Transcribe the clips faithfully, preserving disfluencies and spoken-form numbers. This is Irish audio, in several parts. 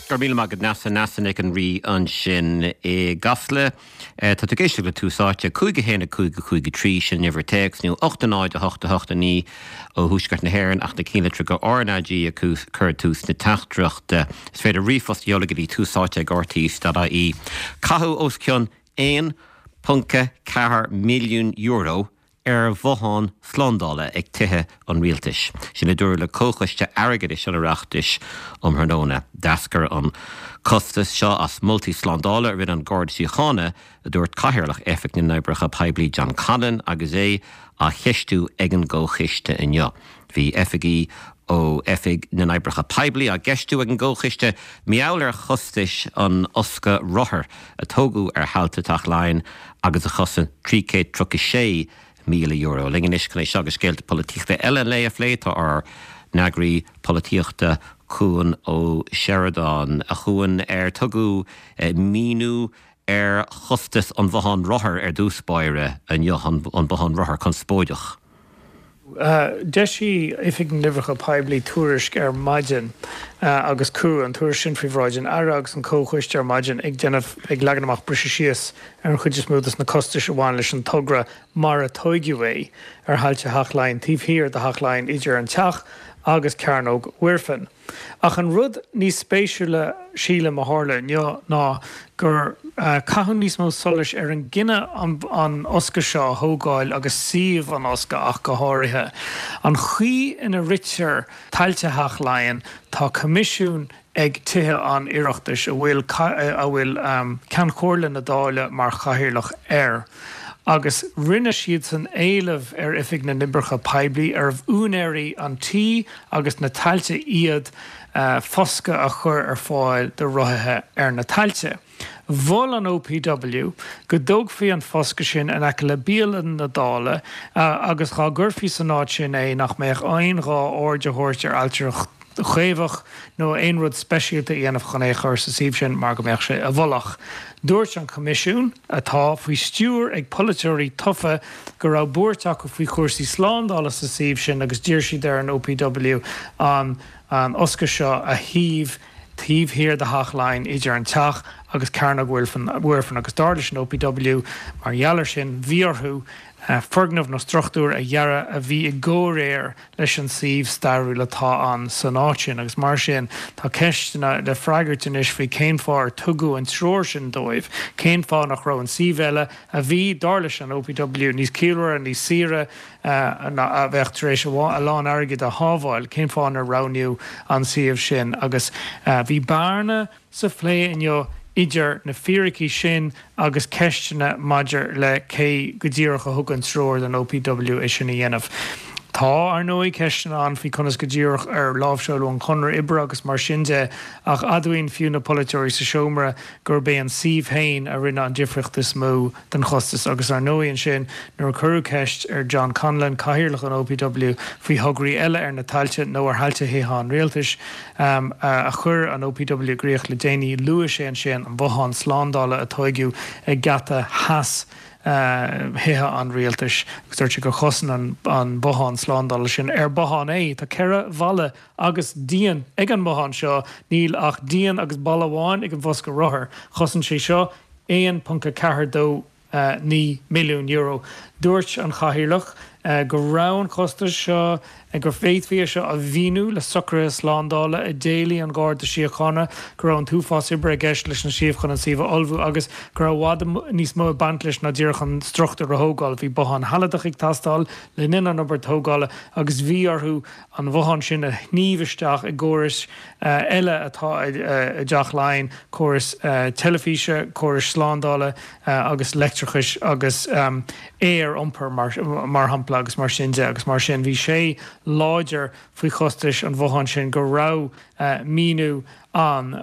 Go raibh míle maith agat Neasa Neasa Nic an Rí ansin i gCasla. Tá tú ag éisteacht le Tús Áite cúig a haon a cúig a cúig a trí sin uimhir téacs nó ocht a náid a hocht a hocht a naoi ó thuaisceart na hÉireann ach na ceannlitreacha RnaG a chur tús na teachtaireachta. Is féidir ríomhphost a sheoladh go dtí túsáite ag rte.ie. Caitheadh os cionn aon ponc ceathair milliún euro ar bhothán slándála ag tithe an rialtais. Sin a dúradh le Comhchoiste Airgeadais an Oireachtais um thráthnóna. D'eascair an costas seo as moltaí slándála a rinne an Garda Síochána a dúirt Cathaoirleach Oifig na nOibreacha Poiblí John Conlon agus é á cheistiú ag an gComhchoiste inniu. Bhí oifigigh ó Oifig na nOibreacha Poiblí á gceistiú ag an gComhchoiste mar gheall ar chostais an fhoscaidh rothar a tógadh ar thailte Teach Laighean agus a chosain trí chéad tríocha sé míle euro. Linn anois chun é seo agus scéalta polaitíochta eile an lae a phlé tá ár n-eagraí polaitíochta Cuan Ó Seireadáin a Chuain ar tugadh míniú ar chostas an bhotháin rothar ar dtús báire inniu an bothán rothar conspóideach. D'eisigh Oifig na nOibreacha Poiblí tuairisc ar maidin agus cuireadh an tuairisc sin faoi bhráid an Aire agus an Comhchoiste ar maidin ag déanamh ag leagan amach briseadh síos ar an chuid is mó de na costais a bhain leis an togra mar a tóigeadh é ar thailte Theach Laighean taobh thiar de Theach Laighean idir an teach agus Cearnóg Mhuirfean. Ach an rud níos spéisiúla sílim a tharla inniu ná gur caitheadh níos mó solais ar an gcinneadh an fhoscadh seo a thógáil agus suíomh an fhoscaidh ach go háirithe. An chaoi ina ritear tailte Theach Laighean tá coimisiún ag Tithe an Oireachtais a bhfuil a bhfuil Ceann Comhairle na Dála mar chathaoirleach air. Agus rinne siad san éileamh ar Oifig na nOibreacha Poiblí arbh úinéirí an tí agus na tailte iad foscadh a chur ar fáil do rothaithe ar na tailte. Mhol an OPW go dtógfaí an foscadh sin in aice le bialann na Dála agus dá gcuirfí san áit sin é nach mbeadh aon ghá aird a thabhairt ar ailtireacht chaomhach nó aon rud speisialta a dhéanamh chun é a chur sa suíomh sin mar go mbeadh sé i bhfolach. Dúirt an Coimisiún, atá faoi stiúir ag polaiteoirí tofa, go raibh buairt acu faoi chúrsaí slándála sa suíomh sin agus d'iarr siad ar an OPW an an fhoscadh seo a shuíomh taobh thiar de Theach Laighean idir an teach agus Cearnóg Mhuirfean agus dar leis an OPW mar gheall air sin bhí orthu foirgneamh nó struchtúr a dhearadh a bhí i gcomhréir leis an suíomh stairiúil atá ann san áit sin agus mar sin tá ceisteanna le freagairt anois faoi cén fáth ar tugadh an treoir sin dóibh, cén fáth nach raibh an suíomh eile a bhí, dar leis an OPW, níos ciallmhaire, níos saoire, a bheadh tar éis a lán airgid a shábháil, cén fáth nár roghnaíodh an suíomh sin agus bhí bearna sa phlé inniu idir na fíricí sin agus ceisteanna maidir le cé go díreach a thug an treoir don OPW é sin a dhéanamh. Tá, ar ndóigh, ceisteanna ann faoi conas go díreach ar láimhseáladh an conradh oibre agus mar sin de, ach admhaíonn fiú na polaiteoirí sa seomra gurb é an suíomh féin a rinne an difríocht is mó don chostas agus ar ndóigh ansin nuair a cuireadh ceist ar John Conlon, cathaoirleach an OPW, faoi thograí eile ar na tailte nó ar thailte Thithe an Rialtais a chuir an OPW i gcrích le déanaí, luaigh sé ansin an bothán slándála a tóigeadh ag geata theas Thithe an Rialtais agus dúirt sé gur chosain an bothán slándála sin, ar bothán é, tá ceithre bhalla agus díon ag an mbothán seo, níl ach díon agus balla amháin ag an bhfoscadh rothar, chosain sé seo aon ponc a ceathair dó naoi milliún euro. Dúirt an Cathaoirleach go raibh an costas seo, go bhféadfaí é seo a mhíniú le socruithe slándála a d'éiligh an Garda Síochána, go raibh an t-uafás oibre i gceist leis an suíomh chun an suíomh a ullmhú agus go raibh i bhfad níos mó ag baint leis ná díreach an struchtúr a thógáil. Bhí bothán shealadach ag teastáil le linn an obair tógála agus bhí orthu an bothán sin a shníomh isteach i gcórais eile atá i dTeach Laighean, córais teilifíse, córais slándála agus leictreachais agus aer-iompair mar shampla agus mar sin de agus mar sin bhí sé láidir faoi chostais an bhotháin sin go raibh míniú ann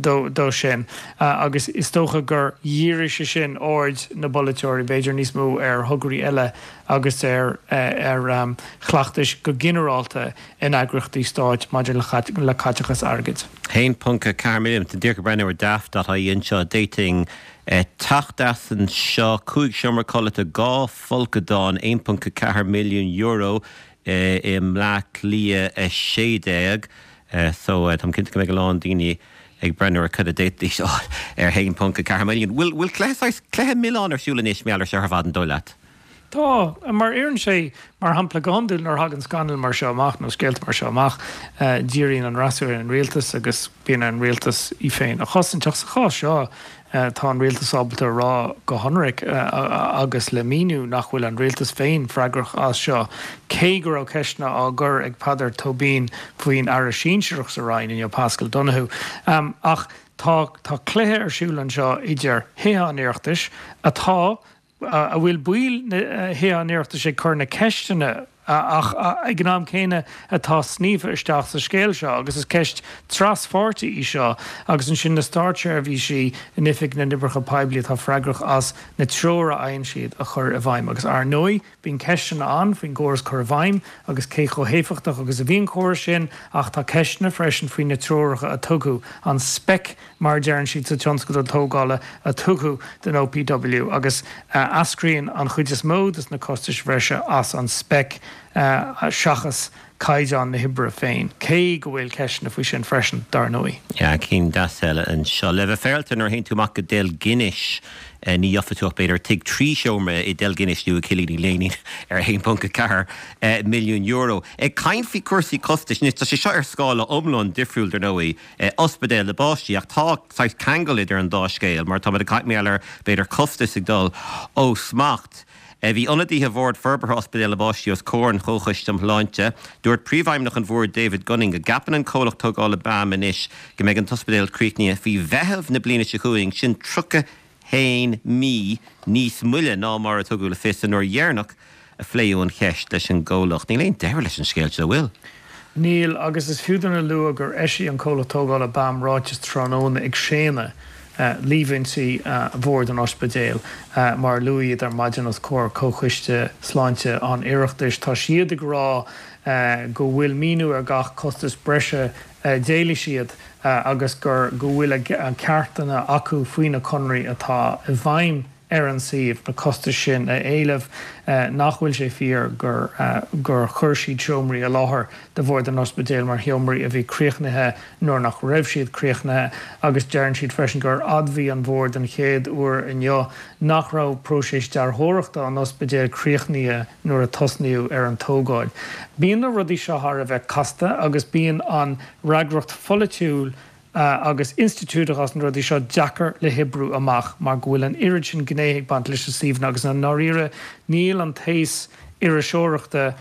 dó sin agus is dócha gur dhírigh sé sin aird na bpolaiteoirí b'fhéidir níos mó ar thograí eile agus ar ar chleachtais go ginearálta in eagraíochtaí stáit maidir le caiteachas airgid. haon ponc ceathair milliún. Tá díreach ag breathnú ar daft.ie anseo, d'fhéadfainn teacht as anseo, cúig seomra codlata, dhá folcadán, aon ponc ceathair milliún euro i mBleá Cliath a sé déag. So táim cinnte go mbeidh a lán daoine ag breathnú ar cad a d'fhéadfaidís a fháil ar a haon ponc a ceathair milliún. Bhfuil bhfuil cluiche saghas cluiche milleáin ar siúl anois mar gheall air seo ar fad an dóigh leat? Tá, mar oireann sé, mar shampla, go hiondúil nuair a thagann scannail mar seo amach nó scéalta mar seo amach, díríonn an fhreasúra ar an rialtas agus bíonn ar an rialtas í féin a chosaint. Ach sa chás seo, tá an rialtas ábalta a rá go hionraic agus le míniú nach bhfuil an rialtas féin freagrach as seo, cé go raibh ceisteanna á gcur ag Peadar Tóibín faoin aire sinsearach sa Roinn inniu, Paschal Donohoe. Ach tá tá cluiche ar siúl anseo idir Thithe an Oireachtais, atá, a bhfuil baill Thithe an Oireachtais ag cur na ceisteanna ach ag an am céanna atá sníomhtha isteach sa scéal seo agus is ceist traspháirtí í seo agus ansin na státseirbhísí in Oifig na nOibreacha Poiblí atá freagrach as na treoir a fhaigheann siad a chur i bhfeidhm agus ar ndóigh bíonn ceisteanna ann faoin gcóras cur i bhfeidhm agus cé chomh héifeachtach agus a bhí an córas sin ach tá ceisteanna freisin faoi na treoracha a tugadh, an speic mar a deireann siad sa tionscadal tógála a tugadh don OPW agus eascraíonn an chuid is mó de na costais bhreise as an speic seachas caighdeán na hoibre féin, cé go bhfuil ceisteanna faoi sin freisin, dar ndóigh. Yeah, cinn deas eile anseo. Le bheith féaráilte, nuair a théann tú amach go Deilginis, ní gheofaidh tú ach b'fhéidir tigh trí seomra i Deilginis nó i gCillín Uí Léinín ar a haon ponc a ceathair milliún euro. Ag caint faoi chúrsaí costais, anois tá sé seo ar scála iomlán difriúil dar ndóigh, ospidéal na bpáistí, ach tá saghas ceangal idir an dá scéal mar táimid ag caint mar gheall ar b'fhéidir costais ag dul ó smacht. Bhí ionadaithe Bhord Forbartha Ospidéal na bPáistí os comhair an Chomhchoiste um Shláinte. Dúirt Príomhfheidhmeannach an Bhoird David Gunning go gceapann an comhlacht tógála BAM anois go mbeidh an t-ospidéal críochnaithe faoi Mheitheamh na bliana seo chugainn, sin tríocha haon mí níos moille ná mar a tugadh le fios an uair dheireanach a pléadh an cheist leis an gcomhlacht. Níl aon deireadh leis an scéal seo, an bhfuil? Níl, agus is fiú dúinn a lua gur eisigh an comhlacht tógála BAM ráiteas tráthnóna ag séanadh líomhaintí Bhord an Ospidéil mar a luadh iad ar maidin os comhair Comhchoiste Sláinte an Oireachtais. Tá siad ag rá go bhfuil míniú ar gach costas breise a d'éiligh siad agus gur go bhfuil a ceartanna acu faoi na conraí atá i bhfeidhm ar an suíomh na costais sin a éileamh, nach bhfuil sé fíor gur gur chuir siad seomraí i láthair do Bhord an Ospidéil mar sheomraí a bhí críochnaithe nuair nach raibh siad críochnaithe agus deireann siad freisin gur admhaigh an Bord den chéad uair inniu nach raibh próiseas dearthóireachta an ospidéil críochnaithe nuair a tosnaíodh ar an tógáil. Bíonn na rudaí seo thar a bheith casta agus bíonn an fhreagracht pholaitiúil agus institiúideach as na rudaí seo deacair le hoibriú amach mar go bhfuil an oiread sin gnéithe ag baint leis na suíomhanna agus i ndáiríre níl an t-aos iriseoireachta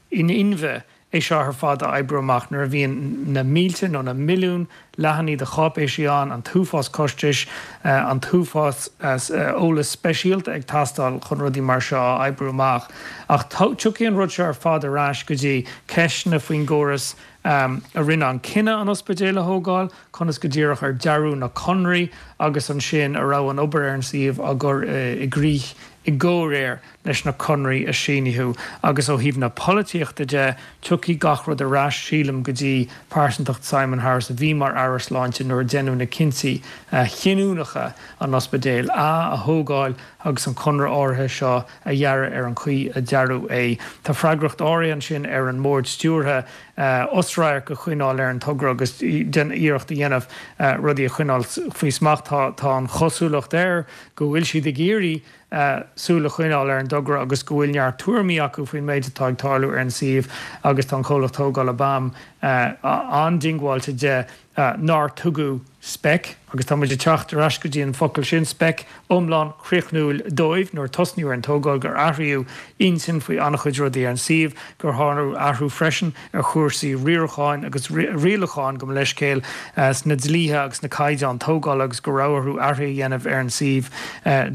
in inmhe é seo ar fad a oibriú amach nuair a bhíonn na mílte nó na milliúin leathanaigh de cháipéisí ann, an t-uafás costais, an t-uafás eolas speisialta ag teastáil chun rudaí mar seo a oibriú amach. Ach tiocfaidh an rud seo ar fad ar ais go dtí ceisteanna faoin gcóras a rinne an cinneadh an ospidéal a thógáil, conas go díreach ar dearadh na conraí agus ansin a raibh an obair ar an suíomh á gcur i gcrích i gcomhréir leis na conraí a síníodh. Agus ó thaobh na polaitíochta de, tiocfaidh gach rud ar ais, sílim, go dtí pearsantacht Simon Harris a bhí mar Aire Sláinte nuair a deineadh na cinntí chinniúnacha an ospidéal a a thógáil agus an conradh áirithe seo a dhearadh ar an chaoi a dearadh é. Tá freagracht áirithe ansin ar an mBord Stiúrtha osradharc a choinneáil ar an togra agus iarracht a dhéanamh rudaí a choinneáil faoi smacht. Tá an chosúlacht air go bhfuil siad ag iarraidh súil a choinneáil ar an dtogra agus go bhfuil neart tuairimí acu faoin méid atá ag tarlú ar an suíomh agus tá an comhlacht tógála BAM an-diongbháilte de nár tugadh speic, agus tá muid ag teacht ar ais go dtí an focal sin, speic, iomlán chríochnúil dóibh nuair a tosnaíodh ar an tógáil, gur athraíodh intinn faoi an-chuid rudaí ar an suíomh, gur tharla athrú freisin ar chúrsaí riaracháin agus rialacháin, gabh mo leithscéal, sna dlíthe agus na caighdeáin tógála agus go raibh orthu athruithe a dhéanamh ar an suíomh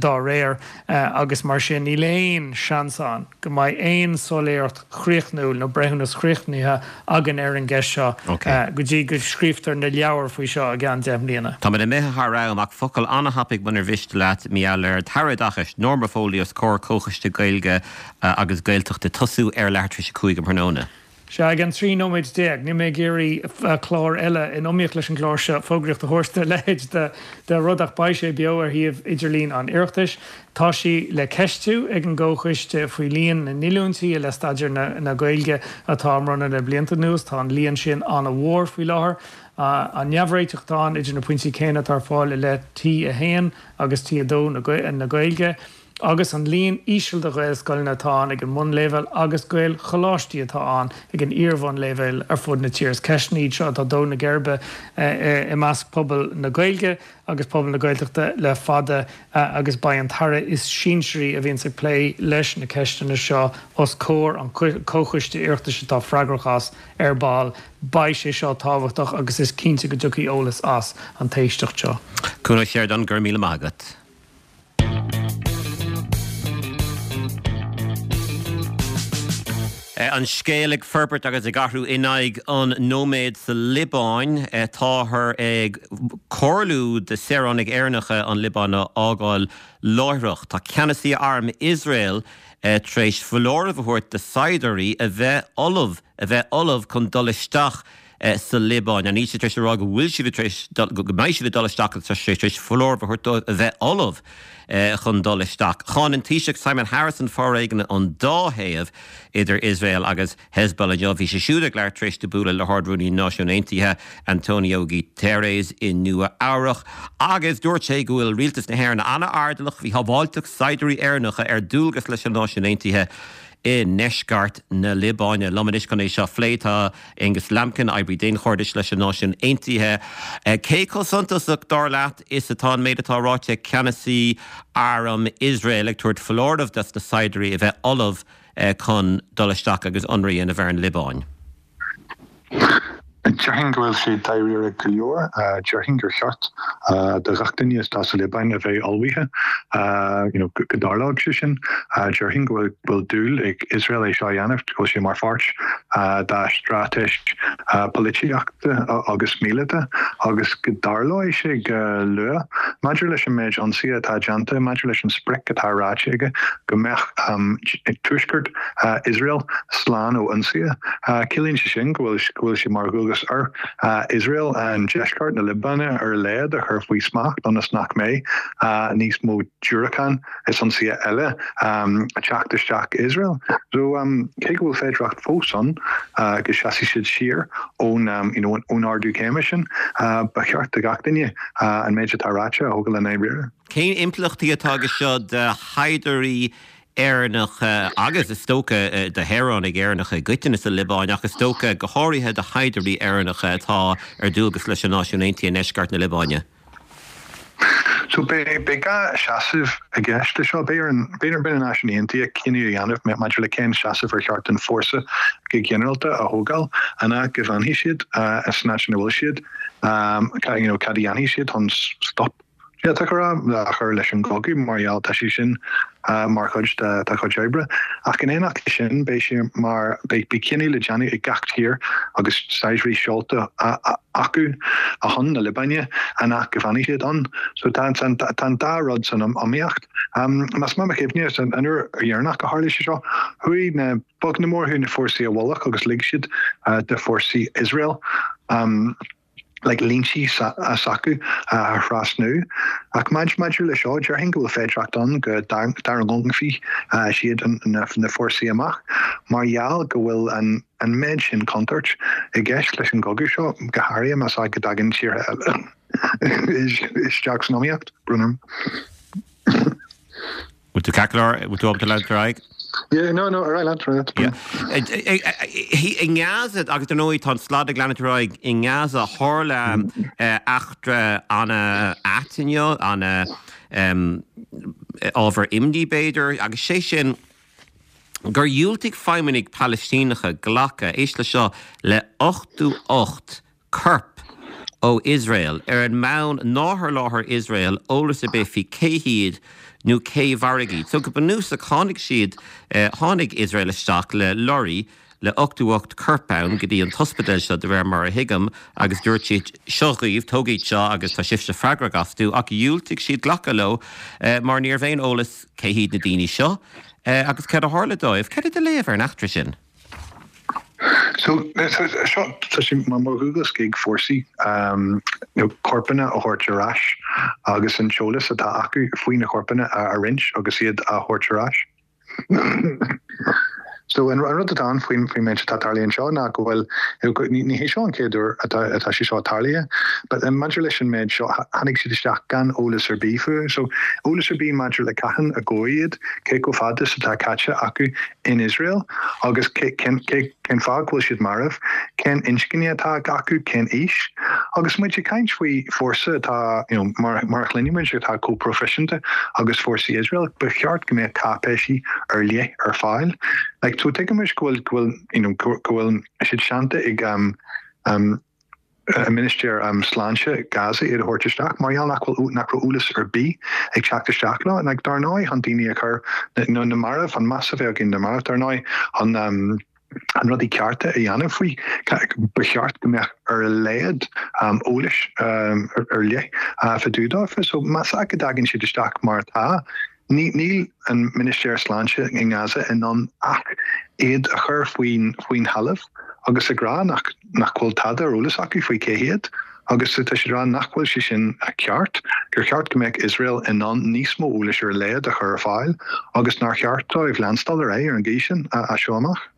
dá réir agus mar sin níl aon seans ann go mbeidh aon soiléireacht chríochnúil nó breithiúnas chríochnaithe againn ar an gceist seo go dtí go scríobhtar na leabhair faoi seo i gceann deich mbliana. Táimid imithe thar am ach focal an-thapaidh munar mhiste leat, mar gheall ar an tAire Oideachais, Norma Foley os comhair Comhchoiste Gaeilge agus Gaeltachta tosú ar leathuair tar éis a cúig um thráthnóna. Sea, ag an trí nóiméad déag, níl mé ag iarraidh clár eile in iomaíocht leis an gclár seo fógraíocht a thabhairt do leithéid de de rud ach beidh sé beo ar shuíomh idirlín an Oireachtais. Tá sí le ceistiú ag an gComhchoiste faoi líon na ndíolúintí i leith staidéar na na Gaeilge atá á mbronnadh le blianta anuas. Tá an líon sin an-mhór faoi láthair. An neamhréiteach atá ann idir na pointí céanna atá ar fáil i leith T a haon agus T a dó na Gaeilge. agus an líon íseal de Ghaelscoileanna atá ann ag an mbunleibhéal agus Gaelcholáistí atá ann ag an iar-bhunleibhéal ar fud na tíre. Is ceisteanna iad seo atá ag dó na geirbe i measc pobal na Gaeilge agus pobal na Gaeltachta le fada agus beidh an tAire is sinsearaí a bhíonns ag plé leis na ceisteanna seo os comhair an Chomhchoiste Oireachtais atá freagrach as ar ball. Beidh sé seo tábhachtach agus is cinnte go dtiocfaidh eolas as an t-éisteacht seo. Cuan Ó Seireadáin, go raibh míle maith agat. An scéal ag forbairt agus ag athrú in aghaidh an nóiméid sa Liobáin. Táthar ag comhairliú do saoránaigh Éireannacha an Liobáin a fhágáil láithreach. Tá ceannasaí arm Iosrael tar éis foláireamh a thabhairt do saighdiúirí a bheith ullamh a bheith ullamh chun dul isteach sa Liobáin. Níl sé tar éis a rá go bhfuil siad tar éis go mbeidh siad ag dul isteach ach tá sé tar éis foláireamh a thabhairt dóibh a bheith ullamh chun dul isteach. Cháin an Taoiseach Simon Harris an foréigean ón dá thaobh idir Iosrael agus Hezbollah inniu. Bhí sé siúd ag labhairt tar éis dó bualadh le hArd-Rúnaí na Náisiún Aontaithe Antonio Guterres i Nua Eabhrach agus dúirt sé go bhfuil rialtas na hÉireann an-airdeallach faoi shábháilteacht saighdiúirí Éireannacha ar dualgas leis na Náisiúin Aontaithe i ndeisceart na Liobáine. Liom anois chun é seo a phlé tá Angus Lambkin, oibrí daonchairdis leis na Náisiúin Aontaithe. Cé chomh suntasach, dar leat, is atá an méid atá ráite ag ceannasaí arm Iosrael ag tabhairt foláireamh dos na saighdiúirí a bheith ullamh chun dul isteach agus ionradh a dhéanamh ar an Liobáin? Déarfainn go bhfuil sé dáiríre go leor. Déarfainn gur cheart do ghach duine atá sa Liobáin a bheith ullmhaithe you know go dtarlódh sé sin. Déarfainn go bhfuil dúil ag Iosrael é seo a dhéanamh, go bhfuil sé mar pháirt dá straitéis polaitíochta agus míleata agus go dtarlóidh sé go luath. Maidir leis an méid ionsaithe atá déanta, maidir leis an sprioc atá ráite aige go mbeadh tuaisceart Iosrael slán ó ionsaithe, ciallaíonn sé sin go bhfuil sé mar dhualgas ar Iosrael an deisceart na Liobáine ar a laghad a chur faoi smacht ionas nach mbeidh níos mó diúracán is ionsaithe eile ag teacht isteach Iosrael. So cé go bhfuil féidearthacht fós ann go seasfaidh siad siar ón you know ón ardú céime sin, ba cheart do gach duine an méid atá ráite a thógáil i ndáiríre. Cén impleachtaí atá aige seo do shaighdiúirí Éireannacha agus is dócha do shaoránaigh Éireannacha i gcoitinne sa Liobáin ach is dócha go háirithe do shaighdiúirí Éireannacha atá ar dualgas leis na Náisiúin Aontaithe i ndeisceart na Liobáine? So beidh dhá sheasamh i gceist leis seo. Beidh ar na Náisiúin Aontaithe cinneadh a dhéanamh maidir le cén seasamh ar cheart don fórsa go ginearálta a thógáil, an ea go bhfanfaidh siad san áit ina bhfuil siad, you know, cad a dhéanfaidh siad chun stop d'fhéadfadh a rá, a chur leis an gcogadh mar gheall tá sé sin mar chuid dá chuid oibre. Ach in éineacht leis sin, beidh sé mar, beidh cinneadh le déanamh ag gach tír agus saighdiúirí seolta acu chun na Liobáine, an ea go bhfanfaidh siad ann. So tá an dá rud san iomaíocht. Más maith mo chuimhne, an uair dheireanach a tharla sé seo, chuaigh na, beag nó mór, chuaigh na fórsaí i bhfolach agus lig siad do fórsaí Iosrael, like línte s'acu a thrasnú. Ach maidir le seo, déarfainn go bhfuil féidearthacht ann go dtarraingeofaí siad na fórsaí amach mar gheall go bhfuil an méid sin contúirt i gceist leis an gcogadh seo, go háirithe más ea go dtagann tíortha eile isteach san iomaíocht. Brón orm. Bhfuil tú ceart go leor? Bhfuil tú ábalta leanúint ar aghaidh? Yeah, no, no, ar aghaidh leat, ar aghaidh leat. Yeah. I nGaza, agus dar ndóigh tá an slad ag leanúint ar aghaidh i nGaza, tharla eachtra an-ait inniu, ana ábhar imní b'fhéidir, agus sé sin gur dhiúltaigh feidhmeannaigh Palaistíneacha glacadh, éist le seo, le ochtó ocht corp ó Iosrael ar an mbonn nár sholáthair Iosrael eolas ar bith faoi cé hiad nó cé mharaigh iad. So go bunúsach tháinig siad, tháinig Iosrael isteach le lorraí le ochtó ocht corp ann go dtí an t-ospidéal seo de réir mar a thuigim agus dúirt siad seo dhaoibh, tóg iad seo agus tá sibhse freagrach astu ach dhiúltaigh siad glacadh leo mar ní raibh aon eolas cé hiad na daoine seo agus cad a tharla dóibh. Cad é do léamh ar an eachtra sin? So seo tá sé mar mar dhualgas ag fórsaí um, nó corpanna a thabhairt ar ais agus an t-eolas atá acu faoi na corpanna a a roinnt agus iad a thabhairt ar ais. So an rud atá ann faoin faoin méid atá tarlaithe anseo ná go bhfuil ní ní hé seo an chéad uair atá atá sé seo tarlaithe, but um, maidir leis an méid seo tháinig siad isteach gan eolas ar bith fúthu, so eolas ar bith maidir le cathain a gabhadh iad, cé chomh fada is atá caite acu in Israel agus cé cén cé cén fáth go bhfuil siad marbh, cén inscne atá acu, cén aois, agus muid ag caint faoi fórsa atá you know, mar mar a chluinimid atá chomh proifisiúnta agus fórsaí Israel, ba cheart go mbeadh cáipéisí ar leith ar fáil. Like, so tuigimid go bhfuil go bhfuil you know, go go bhfuil siad séanta ag um, um, a ministéir um, sláinte Gaza iad a thabhairt isteach mar gheall nach bhfuil nach raibh eolas ar bith ag teacht isteach leo like, dar ndóigh an daoine a chur na na marbh an meas a bheith againn na marbh dar ndóigh an um, an rudaí cearta a dhéanamh faoi ba cheart go mbeadh ar a laghad um, eolais um, ar, ar leith uh, fá dtaobh dófa, so más ea go dtagann siad isteach mar atá. Ní níl an ministéir sláinte i nGaza in ann ach iad a chur faoin faoin thalamh agus ag rá nach nach bhfuil tada ar eolas acu faoi cé hiad agus tá siad rá nach bhfuil sé sin a ceart, gur cheart go mbeadh Israel in ann níos mó eolais ar a laghad a chur ar fáil agus nár cheart dóibh leanstáil ar aghaidh ar an gcaoi sin a seo amach.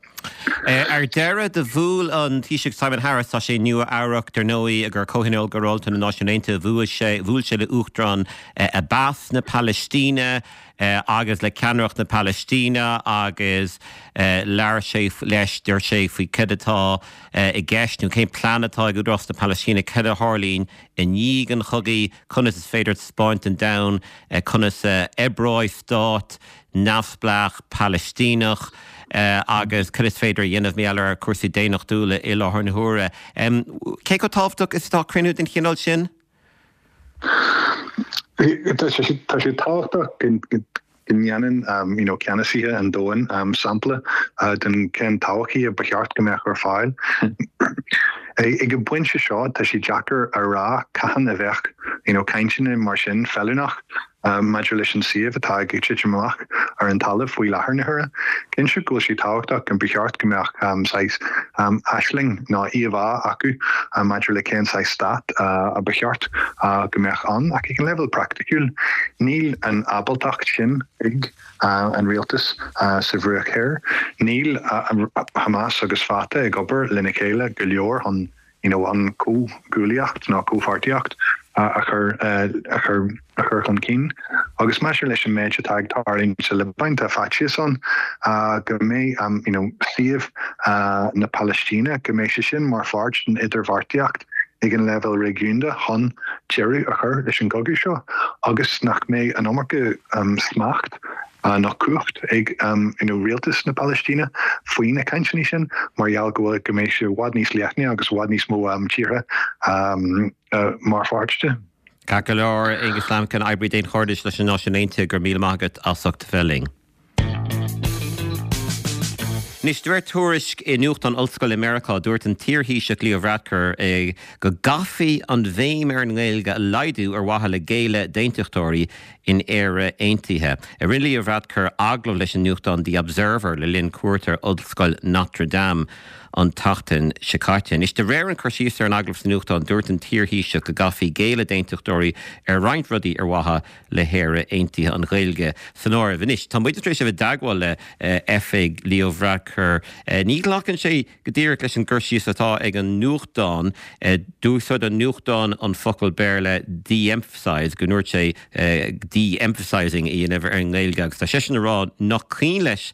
Ar deireadh do bhuail an Taoiseach Simon Harris tá sé Nua Eabhrac dar ndóigh ag Comhthionól Ginearálta na Náisiún Aontaithe bhuail sé bhuail sé le Uachtarán Abbas na Palaistíne agus le ceannaireacht na Palaistíne agus labhair sé leis deir sé faoi cad atá i gceist nó cén plean atá ag Údarás na Palaistíne cad a tharlaíonn i ndiaidh an chogaidh conas is féidir taispeáint don domhan conas oibreoidh stát neamhspleách Palaistíneach agus cad is féidir a dhéanamh mar gheall ar cúrsaí daonnachtúla i láthair na huaire. Cé chomh tábhachtach is atá cruinniú den chineál sin? Tá sé tábhachtach go ndéanann um, you know, ceannasaithe an domhain um, sampla uh, den cén todhchaí a ba cheart go mbeadh ar fáil. Ag an bpointe seo tá sé deacair a rá cathain a bheadh you know, cainteanna mar sin feiliúnach um, maidir leis an suíomh atá ag titim amach ar an talamh faoi láthair na huaire. Cinnte go bhfuil sé tábhachtach go ba cheart go mbeadh um, saghas um, aisling ná íomhá acu um, maidir le cén saghas stát uh, a ba cheart uh, go mbeadh ann ach ag an leibhéal praiticiúil níl an ábaltacht sin ag uh, an rialtas uh, sa Bhruach Thoir. Níl uh, Hamas agus Fatah ag obair lena chéile go leor an you know, an comhghuaillíocht ná comhpháirtíocht uh, a chur uh, a chur a chur chun cinn. Agus maidir leis an méid atá ag tarlú sa Liobáin tá faitíos ann uh, go mbeidh um, you know, suíomh uh, na Palaistíne go mbeidh sé sin mar pháirt den idirbheartaíocht ag an leibhéal réigiúnda chun deireadh a chur leis an gcogadh seo agus nach mbeidh an iomarca um, smacht uh, nach cumhacht ag um, you know, rialtas na Palaistíne faoi na cainteanna sin mar gheall go bhfuil go mbeidh sé i bhfad níos leithne agus i bhfad níos mó um, tíortha um, uh, mar pháirt de. Ceart go leor Aonghus Lambkin oibrí daonchairdis leis na Náisiúin Aontaithe go raibh míle maith agat as ucht a bheith linn. Anois de réir tuairisc i nuachtán ollscoile Meiriceá dúirt an t-iarThaoiseach Leo Varadkar é go gcaithfí an bhéim ar an nGaeilge a laghdú ar mhaithe le géilleadh d'aontachtóirí in Éire Aontaithe. Rinne Leo Varadkar agallamh leis an nuachtán The Observer le linn cuairt ar Ollscoil Notre Dame an tseachtain seo caite. Anois de réir an chur síos ar an agallamh sa nuachtán dúirt an t-iarThaoiseach go gcaithfí géilleadh d'aontachtóirí ar roinnt rudaí ar mhaithe le hÉire Aontaithe an Ghaeilge san áireamh. Anois tá muid tar éis a bheith i dteagmháil le oifig Leo Varadkar. Ní ghlacann sé go díreach leis an gcur síos atá ag an nuachtán d'úsáid an nuachtán an focal Béarla de-emphasize go ndúirt sé de-emphasizing í in ar an nGaeilge agus tá seisean ag rá nach cuimhin leis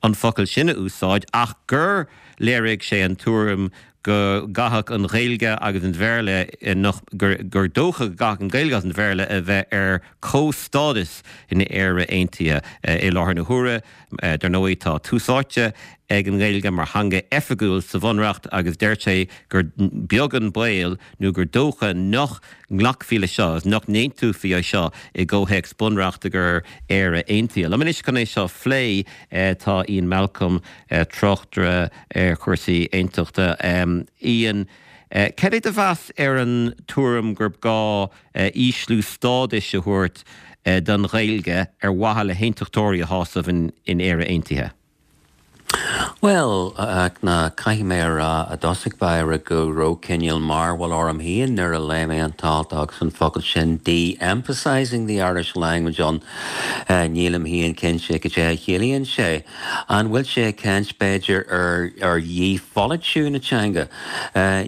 an focal sin a úsáid ach gur léirigh sé an tuairim go gcaithfeadh an Ghaeilge agus an Béarla nach gur gur dócha go gcaithfeadh an Ghaeilge agus an Béarla a bheith ar comhstádas in Éire Aontaithe i láthair na huaire dar ndóigh tá tús áite ag an nGaeilge mar theanga oifigiúil sa bhunreacht agus deir sé gur beag an baol nó gur dócha nach nglacfaí leis seo nach n-aontófaí é seo i gcomhthéacs bunreachta gur Éire Aontaithe. Liom anois chun é seo a phlé tá Ian Malcolm tráchtaire ar chúrsaí aontachta. Ian, cad é do mheas ar an tuairim gur gá ísliú stádais a thabhairt don Ghaeilge ar mhaithe le haontachtóirí a shásamh in in Éire Aontaithe? Bhuel, ná caithfidh mé a rá i dtosach báire go raibh cineál mearbhall orm féin nuair a léigh mé an t-alt agus an focal sin de-emphasising the Irish language ann. Nílim féin cinnte cad é a chiallaíonn sé. An bhfuil sé ag caint b'fhéidir ar ar dhípholaitiú na teanga?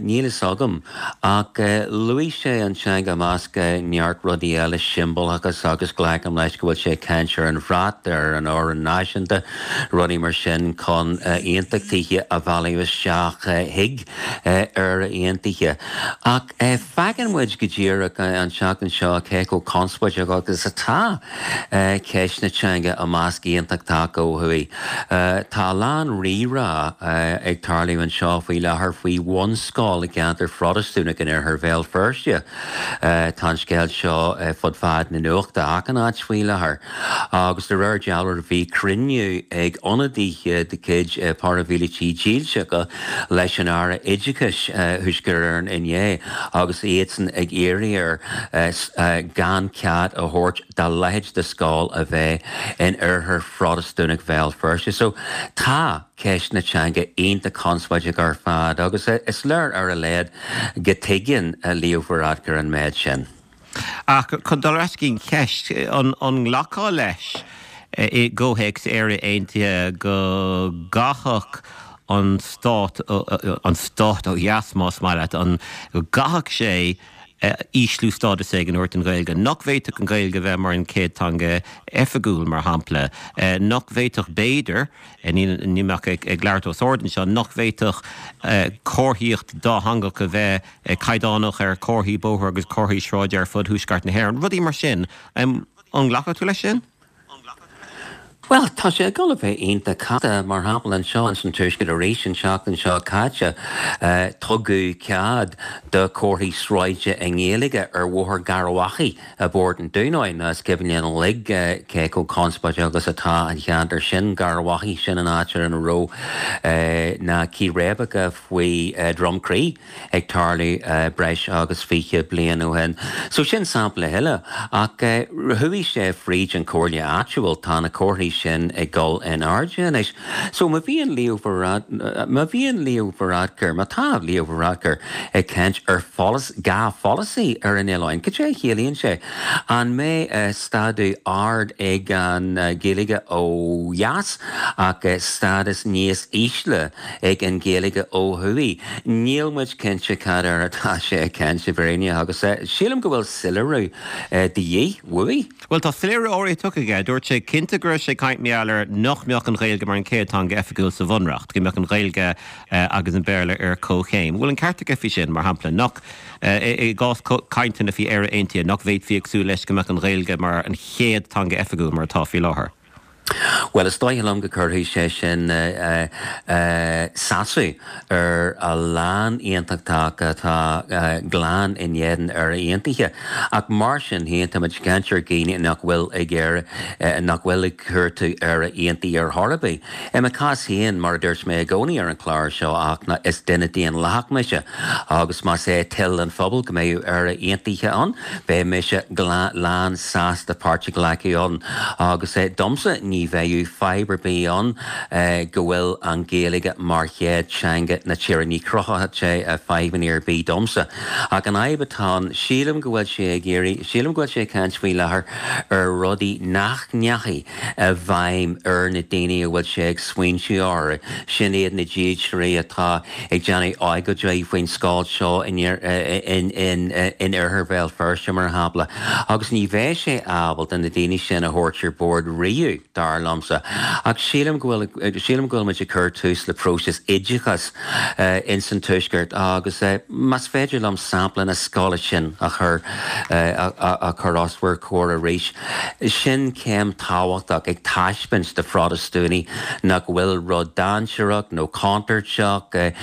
Níl fhios agam. Ach luaigh sé an teanga i measc neart rudaí eile, siombalachas agus glacaim leis go bhfuil sé ag caint ar an bhrat, ar an amhrán náisiúnta, rudaí mar sin chun aontachtaithe a mhealladh isteach chuig Éire Aontaithe. Ach feiceann muid go díreach an tseachtain seo cé chomh conspóideach agus atá ceist na teanga i measc aontachtach ó thuaidh. Tá a lán rírá ag tarlú anseo faoi láthair faoi bhunscoil i gceantar Phrotastúnach in oirthear Bhéal Feirste. Tá an scéal seo fud fad na nuachta achan áit faoi láthair agus de réir dealraimh bhí cruinniú ag ionadaithe de chuid paraimhílitigh dílseacha leis an Aire Oideachais Thuaisceart Éireann inné agus iadsan ag iarraidh air gan cead a thabhairt dá leithéid de scoil a bheith in oirthear Phrotastúnach Bhéal Feirste. So tá ceist na teanga iontach conspóideach ar fad agus is léir ar a laghad go dtuigeann Leo Varadkar an méid sin. Ach chun dul ar ais go dtí an cheist, an nglacfá leis i gcomhthéacs Éire Aontaithe go gcaithfeadh an stát, an stát ó dheas más maith leat, an go gcaithfeadh sé ísliú stádas éigin a thabhairt don Ghaeilge, nach bhféadfadh an Ghaeilge a bheith mar an chéad teanga oifigiúil, mar shampla, nach bhféadfadh b'fhéidir, níl mé ach ag labhairt os ard anseo, nach bhféadfadh comharthaíocht dátheangach a bheith caighdeánach ar chomharthaí bóthair agus comharthaí sráide ar fud thuaisceart na hÉireann, rudaí mar sin. An nglacfadh tú leis sin? Bhuel, tá sé ag dul a bheith iontach casta. Mar shampla, anseo ins an Tuaisceart arís an tseachtain seo caite, tugadh cead do chomharthaí sráide i nGaeilge ar Bhóthar Gharbhachaidh i bPort an Dúnáin. Is cuimhin linn uilig cé chomh conspóideach agus atá an cheantar sin, Garbhachaidh, sin an áit ar ina raibh na círéibeacha faoi Drumcree ag tarlú breis agus fiche bliain ó shin. So sin sampla eile. Ach chuaigh sé fríd an chomhairle áitiúil, tá na comharthaí sin ag dul in airde anois. So má bhíonn Leo má bhíonn Leo Varadkar, má tá Leo Varadkar ag caint ar dhá pholasaí ar an oileán, cad é a chiallaíonn sé? An mbeidh stádas ard ag an Ghaeilge ó dheas ach stádas níos ísle ag an Ghaeilge ó thuaidh? Níl muid cinnte cad air atá sé ag caint i bhfírinne agus sílim go bhfuil soiléiriú de dhíth uaidh. Bhuel, tá soiléiriú áirithe tugtha aige. Dúirt sé cinnte go raibh sé ag caint mar gheall ar nach mbeadh an Ghaeilge mar an chéad teanga oifigiúil sa Bhunreacht, go mbeadh an Ghaeilge agus an Béarla ar comhchéim. Bhfuil an ceart aige faoi sin, mar shampla, nach, i gcás cainteanna faoi Éire Aontaithe, nach bhféadfaí ag súil leis go mbeadh an Ghaeilge mar an chéad teanga oifigiúil mar atá faoi láthair? Bhuel, is dóigh liom go gcuirfidh sé sin sásamh ar a lán aontachtach atá glan in éadan Éire Aontaithe. Ach mar sin féin, táimid ag caint ar dhaoine nach bhfuil ag iarraidh, nach bhfuil ag cuartú Éire Aontaithe ar chor ar bith. I mo chás féin, mar a dúirt mé i gcónaí ar an chlár seo, ach is duine daonlathach mise agus más é toil an phobail go mbeadh Éire Aontaithe ann, beidh mise lán sásta páirt a ghlacadh ann agus domsa ní bheadh fadhb ar bith ann go bhfuil an Ghaeilge mar chéad teanga na tíre. Ní chruthódh sé fadhbanna ar bith domsa. Ach an fhadhb atá ann, sílim go bhfuil sé ag iarraidh, sílim go bhfuil sé ag caint faoi láthair ar rudaí nach ndeachaigh i bhfeidhm ar na daoine a bhfuil sé ag smaointiú orthu. Sin iad na dílseoirí atá ag déanamh agóidí faoin scoil seo in oirthear Bhéal Feirste, mar shampla, agus ní bheidh sé ábalta na daoine sin a thabhairt ar bord riamh, dar liomsa. Ach sílim go bhfuil, sílim go bhfuil muid ag cur tús le próiseas oideachais ins an Tuaisceart agus más féidir liom sampla na scoile sin a chur, a chur os bhur comhair arís, sin céim tábhachtach ag taispeáint do Phrotastúnaigh nach bhfuil rud dainséarach nó contúirteach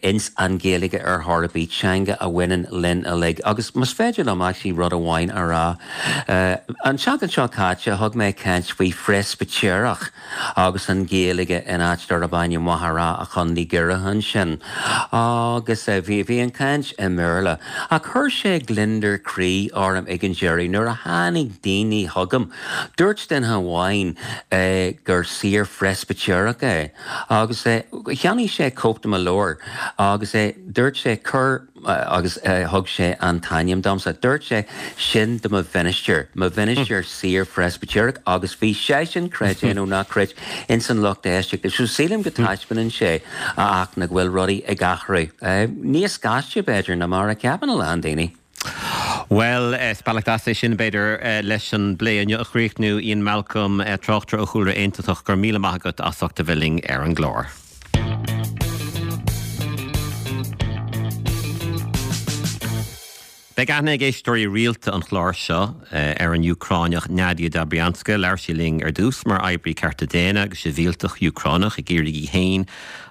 ins an Ghaeilge ar chor ar bith, teanga a bhaineann linn uilig. Agus más féidir liom actually rud amháin a rá, an tseachtain seo caite thug mé caint faoi phreas Preispitéireach agus an Ghaeilge in áit darb ainm Machaire Chontae Dhoire ansin. Agus bhí bhí an caint i mBéarla. A chuir sé gliondar croí orm ag an deireadh nuair a tháinig daoine chugam. Dúirt duine amháin eh, gur saor Preispitéireach é agus eh, cheannaigh sé cóip de mo leabhar agus é dúirt sé cur agus thug sé an t-ainm domsa. Dúirt sé sin do mo mhinistir, mo mhinistir saor Preispitéireach agus bhí sé sin creid é nó ná creid ins an lucht éisteachta. So sílim go dtaispeánann sé ach na bhfuil rudaí ag athrú. Níos gaiste b'fhéidir ná mar a cheapann a lán daoine. Well, is bealach deas é sin b'fhéidir leis an bplé inniu a chríochnú Ian Malcolm tráchtaire ó chúlra aontachtach go raibh míle maith agat as ucht a bheith linn ar an gclár. Beidh aithne ag éisteoirí rialta an chláir seo ar an Úcráineach Nadia Dobrianska. Labhair sí linn ar dtús mar oibrí cearta daonna agus sibhialtach Úcránach ag iarraidh í féin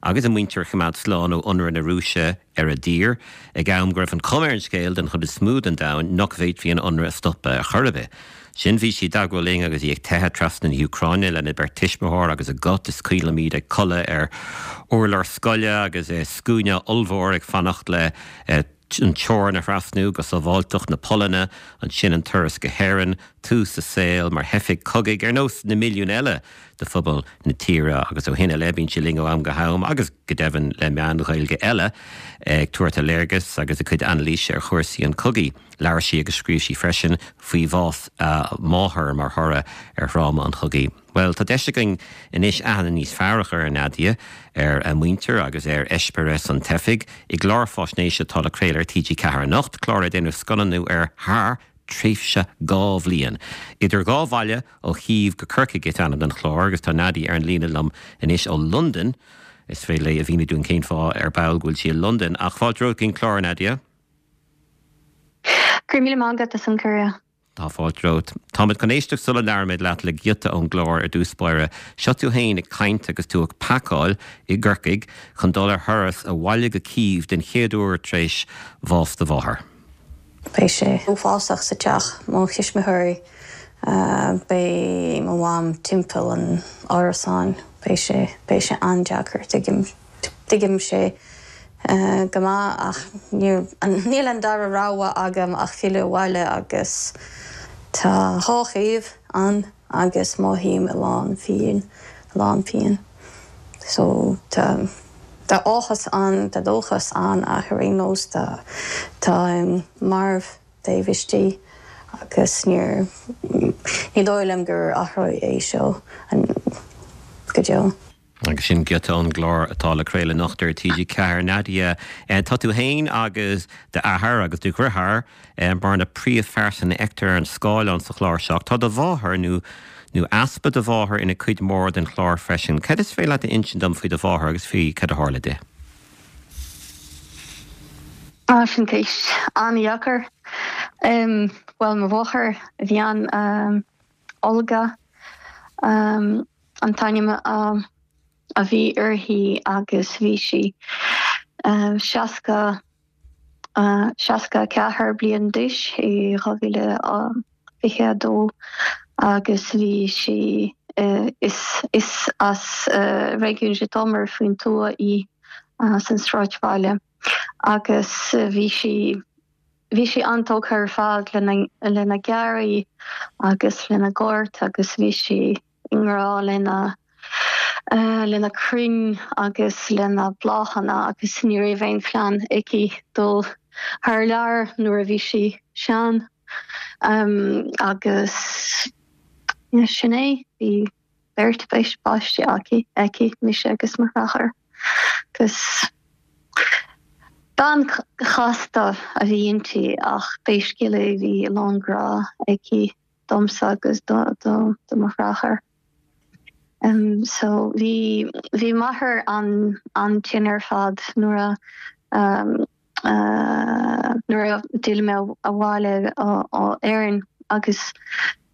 agus a muintir a choimeád slán ó ionradh na Rúise ar a dtír, ag am go raibh an chuma ar an scéal den chuid is mó den domhan nach bhféadfaí an ionradh a stopadh ar chor ar bith. Sin bhí sí i dteagmháil linn agus í ag teitheadh trasna na hÚcráine lena beirt tuismitheoir agus a cat. Is cuimhin liom iad ag codladh ar urlár scoile agus scuaine ollmhór ag fanacht le an teorainn a thrasnú go sábháilteacht na Polainne, ansin an turas go hÉirinn, tús a saoil mar theifigh cogaidh ar nós na milliún eile de phobal na tíre agus ó shin i leith bíonn sí linn ó am go ham agus go deimhin le meáin Ghaeilge eile ag tabhairt a léargas agus a cuid anailíse ar chúrsaí an chogaidh. Labhair sí agus scríobh sí freisin faoi bhás a máthar mar thoradh ar thráma an chogaidh. Bhuel, tá deis againn anois aithne níos fearr a chur ar Nadia, ar a muintir agus ar eispéireas an teifigh i gclár faisnéise atá le craoladh ar T G ceathair anocht, clár ar déanadh scannánú air thar tréimhse dhá bhliain. Idir dhá bhaile, ó Chív go Corcaigh is ainm don chlár agus tá Nadia ar an líne liom anois ó Londain. Is féidir léi a mhíniú dúinn cén fáth ar ball go bhfuil sí i Londain. Ach fáilte romhat chuig an chlár, Nadia. Go raibh míle maith agat as an cuireadh. Tá fáilte romhat. Táimid chun éisteacht sula labhraímid leat le giota ón gclár ar dtús báire. Seo tú féin ag caint agus tú ag pacáil i gCorcaigh chun dul ar thuras abhaile go Cív den chéad uair tar éis bhás do mháthar. Beidh sé uafásach sa teach, mo thuismitheoirí, beidh mo mham timpeall an árasáin, beidh sé, beidh sé an-deacair, tuigim, tuigim sé go maith ach níl an dara rogha agam ach filleadh abhaile agus tá dhá thaobh ann agus mothaím a lán phian, a lán pian. So tá tá áthas ann, tá dóchas ann ach ar aon nós tá táim marbh taobh istigh agus níor ní dóigh liom gur athróidh é seo go deo. Agus sin giota ón gclár atá le craoladh anocht ar T G ceathair. Nadia, tá tú féin agus d'athair agus do dheartháir mar na príomhphearsana a fheictear ar an scáileán sa chlár seo. Tá do mháthair, nó nó easpa do mháthar, ina cuid mhór den chlár freisin. Cad is féidir leat a insint dom faoi do mháthair agus faoi cad a tharla di? Ah, sin ceist an-dheacair. Bhuel, mo mháthair a bhí ann, Olga an t-ainm a bhí uirthi agus bhí sí seasca seasca a ceathair bliain d'aois i dhá mhíle fiche a dó agus bhí sí is is as réigiún Zhytomyr faoin tuath í san sráidbhaile agus bhí sí bhí sí an-tógtha ar fad lena lena garraí agus lena gort agus bhí sí i ngrá lena lena crainn agus lena bláthanna agus ní raibh aon phlean aici dul thar lear nuair a bhí sí sean. Um, agus sin é, bhí beirt páistí aici, aici, mise agus mo dheartháir. Agus bean chasta a bhí inti ach pé scéal é bhí a lán grá aici domsa agus do, do, do mo dheartháir. Um, so bhí bhí m'athair an an-tinn ar fad nuair a um, uh, nuair a d'fhill mé abhaile ó Éirinn agus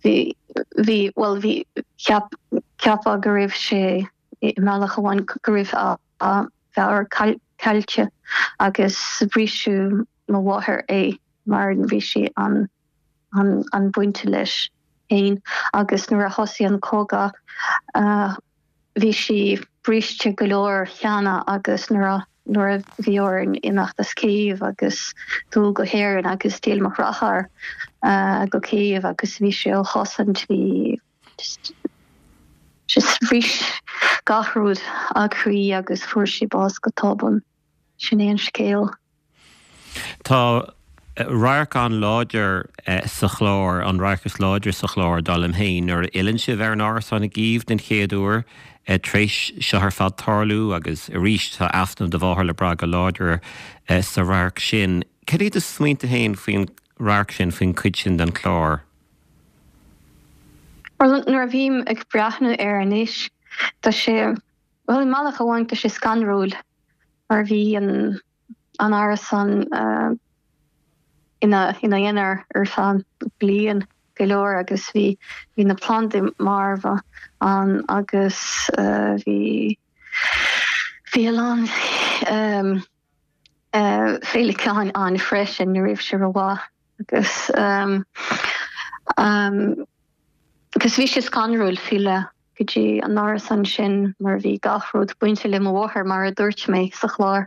bhí bhí well bhí ceap ceapadh go raibh sé i mbealach amháin go raibh a a mheabhair caillte agus briseadh mo mháthair é mar bhí sí an an an bainte leis. féin agus nuair a thosaigh an cogadh bhí sí briste go leor cheana agus nuair a nuair a bhí orainn imeacht as Cív agus dul go hÉirinn agus d'fhill mo dheartháir go Cív agus bhí sé á chosaint bhí just just bhris gach rud a croí agus fuair sí bás go tobann. Sin é an scéal. Tá radharc an-láidir sa chlár, an radharc is láidre sa chlár, dar liom féin, nuair a fhilleann sibh ar an árasán i gCív den chéad uair tar éis seo ar fad tarlú agus arís tá easnamh do mháthar le brath go láidir sa radharc sin. Cad iad do smaointe féin faoin radharc sin, faoin chuid sin den chlár? Bhuel, nuair a bhím ag breathnú air anois, tá sé, bhuel, i mbealach amháin tá sé scanrúil mar bhí an an árasán ina ina aonar ar feadh bliain go leor agus bhí bhí na plandaí marbha ann agus bhí bhí a lán féileacáin ann freisin, ní raibh sé rómhaith agus agus bhí sé scanrúil filleadh go dtí an árasán sin mar bhí gach rud bainte le mo mháthair mar a dúirt mé sa chlár.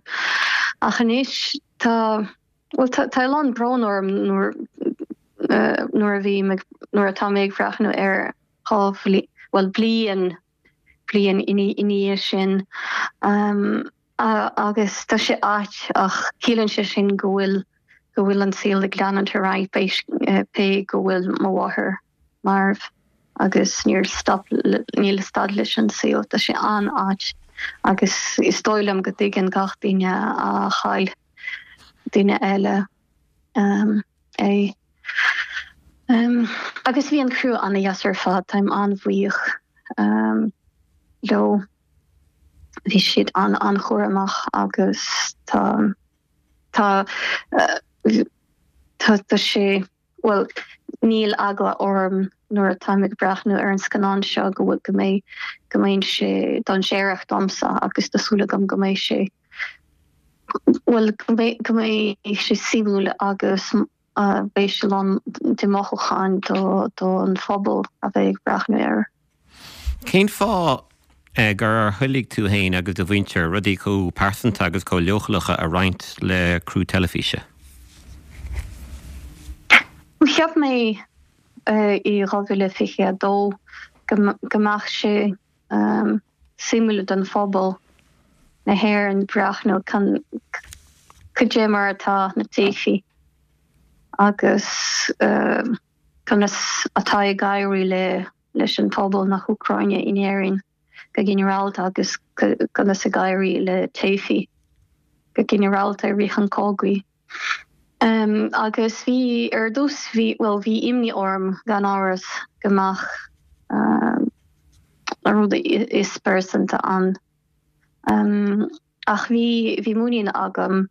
Ach anois tá bhuel tá tá a lán brón orm nuair nuair a bhí nuair atá mé ag breathnú air dhá bhliain bhuel bliain bliain ina dhiaidh sin agus tá sé ait ach ciallaíonn sé sin go bhfuil go bhfuil an saol ag leanúint ar aghaidh pé go bhfuil mo mháthair marbh agus níor stop níl stad leis an saol tá sé an-ait agus is dóigh liom go dtuigeann gach duine a chaill duine eile um, é. Um, agus bhí an criú an-deas ar fad táim an-bhuíoch um, leo. Bhí siad an an-chúramach agus tá tá uh, tá tá sé bhuel níl eagla orm nuair atáim ag breathnú ar an scannán seo go bhfuil go mbeidh go mbeidh sé dainséarach domsa agus tá súil agam go mbeidh sé bhuel go mbeidh go mbeidh sé suimiúil agus beidh sé lán de mothúcháin do don phobal a bheidh ag breathnú air. Cén fáth gur thoiligh tú féin agus do mhuintir rudaí chomh pearsanta agus chomh leochaileacha a roinnt le criú teilifíse? Cheap mé i dhá mhíle fiche a dó go mbeadh sé suimiúil don phobal na hÉireann breathnú cad é mar atá na teifigh agus conas atá ag éirí le leis an phobal na hÚcráine in Éirinn go ginearálta agus conas ag éirí le teifigh go ginearálta i rith an chogaidh. Um, agus bhí ar dtús bhí well bhí imní orm gan amhras go mbeadh um, na rudaí is pearsanta ann. Um, ach bhí bhí muinín agam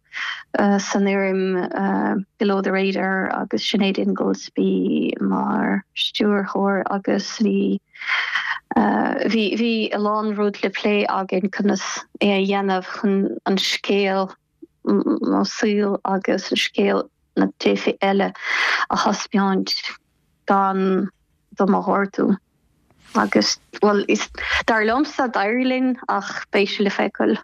uh, san fhoireann uh, Below the Radar agus Sinéad Ingoldsby mar stiúrthóir agus bhí uh, bhí bhí a lán rud le plé againn conas é a dhéanamh chun an scéal mo saol agus an scéal na teifigh eile a thaispeáint gan dom a ghortú. Agus well is dar liomsa d'éirigh linn ach beidh sé le feiceáil.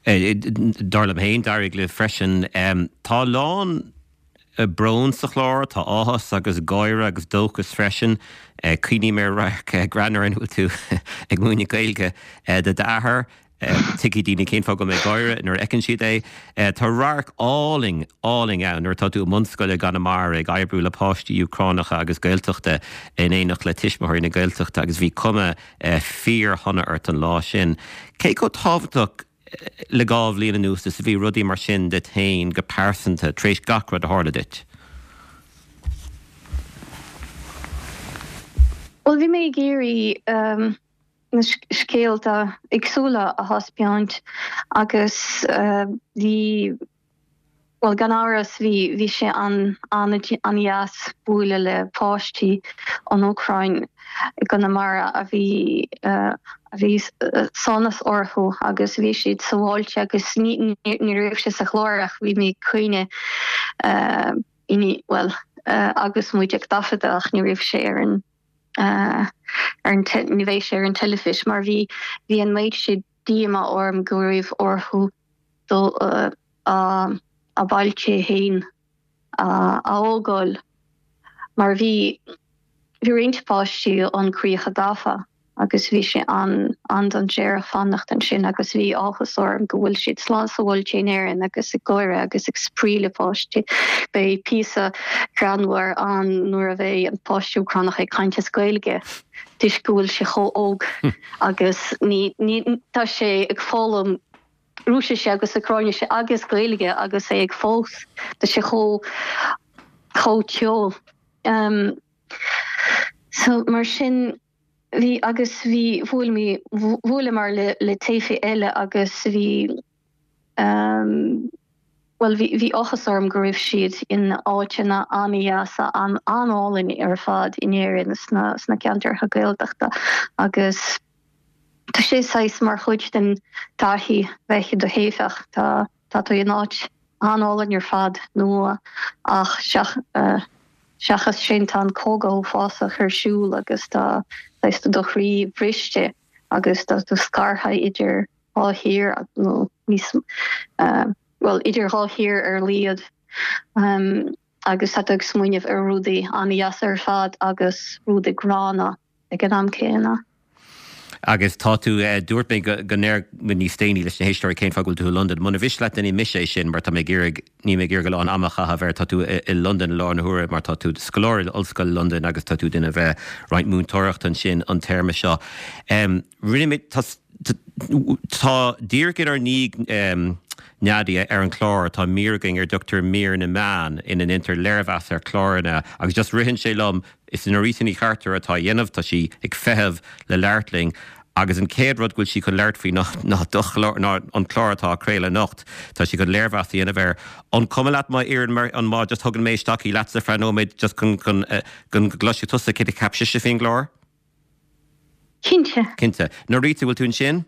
Dar liom féin d'éirigh libh freisin. Tá a lán brón sa chlár, tá áthas agus gáire agus dóchas freisin. Cuimhním ar radharc greannmhar ina bhfuil tú ag múineadh Gaeilge do d'athair. Tuigfidh daoine cén fáth go bhfuil mé ag gáire nuair a fheiceann siad é. Tá radharc álainn, álainn ann nuair atá tú i mbunscoil i gConamara ag oibriú le páistí Úcránacha agus Gaeltachta in éineacht le tuismitheoirí na Gaeltachta agus bhí cuma fíorshona ort an lá sin. Cé chomh tábhachtach le dhá bhliain anuas is a bhí rudaí mar sin duit féin go pearsanta tar éis gach rud a tharla duit? Bhuel, bhí mé ag iarraidh na scéalta éagsúla a thaispeáint agus bhí, bhuel gan amhras bhí, bhí sé an, an-dheas bualadh le páistí ón Úcráin i gConamara a bhí, a bhí sonas orthu agus bhí siad sábháilte agus ní, ní raibh sé sa chlár ach bhí mé ag caoineadh, bhuel, agus muid ag taifeadadh ach ní raibh sé ar an ar an ní bheidh sé ar an teilifís mar bhí bhí an méid sin díomá orm go raibh orthu dul a bailte féin a fhágáil mar bhí bhí roinnt páistí ón críocha gafa agus bhí sé an an-dainséarach fanacht ansin agus bhí áthas orm go bhfuil siad slán sábháilte in Éirinn agus ag gáire agus ag spraoi le páistí. Beidh píosa greannmhar ann nuair a bheidh an páiste Úcránach ag caint as Gaeilge toisc go bhfuil sé chomh óg agus ní ní tá sé ag foghlaim Rúisise agus Úcráinise agus Gaeilge agus é ag fós tá sé chomh chomh teo. Um, so mar sin bhí agus bhí bhuail mé bhuaileamar le le teifigh eile agus bhí um, well bhí bhí áthas orm go raibh siad in áiteanna an-deasa an an-álainn ar fad in Éirinn sna sna ceantracha Gaeltachta agus tá sé saghas mar chuid den taithí bheith i do theifeach tá tá tú in áit an-álainn ar fad nua ach seach uh, seachas sin tá an cogadh uafásach ar siúl agus tá saghas do chroí briste agus tá tú scartha idir dhá thír nó níos uh, well idir dhá thír ar a laghad um, agus tá tú ag smaoineamh ar rudaí an-deas ar fad agus rudaí gránna ag an am céanna. Agus tá tú dúirt mé go ndéarfaidh mé níos déanaí leis na héisteoirí cén fáth go bhfuil tú i Londain. Muna mhiste leat déanfaidh mise é sin mar tá mé ag iarraidh ní mé ag iarraidh a lán ama a chaitheamh air tá tú i Londain i láthair na huaire mar tá tú scoláire in Ollscoil Londain agus tá tú ag déanamh roinnt múinteoireachta ansin an téarma seo. Um, rinne mé tá tá díreach inár ndiaidh Nadia ar an chlár tá mír againn ar a dtugtar mír na meán ina ndéantar léirmheas ar chláranna agus just ritheann sé liom is Norita Ní Chartúir atá á dhéanamh tá sí ag feitheamh le labhairt linn agus an chéad rud go bhfuil sí chun labhairt faoi ná ná do chlár ná an clár atá á chraoladh anocht tá sí chun léirmheas a dhéanamh air. An cuma leat má iarrann mar an má just thugann mé isteach í leatsa ar feadh nóiméad just chun chun chun go gcloisfidh tusa céard a cheap sise faoin gclár? Cinnte. Cinnte. Norita bhfuil tú ansin?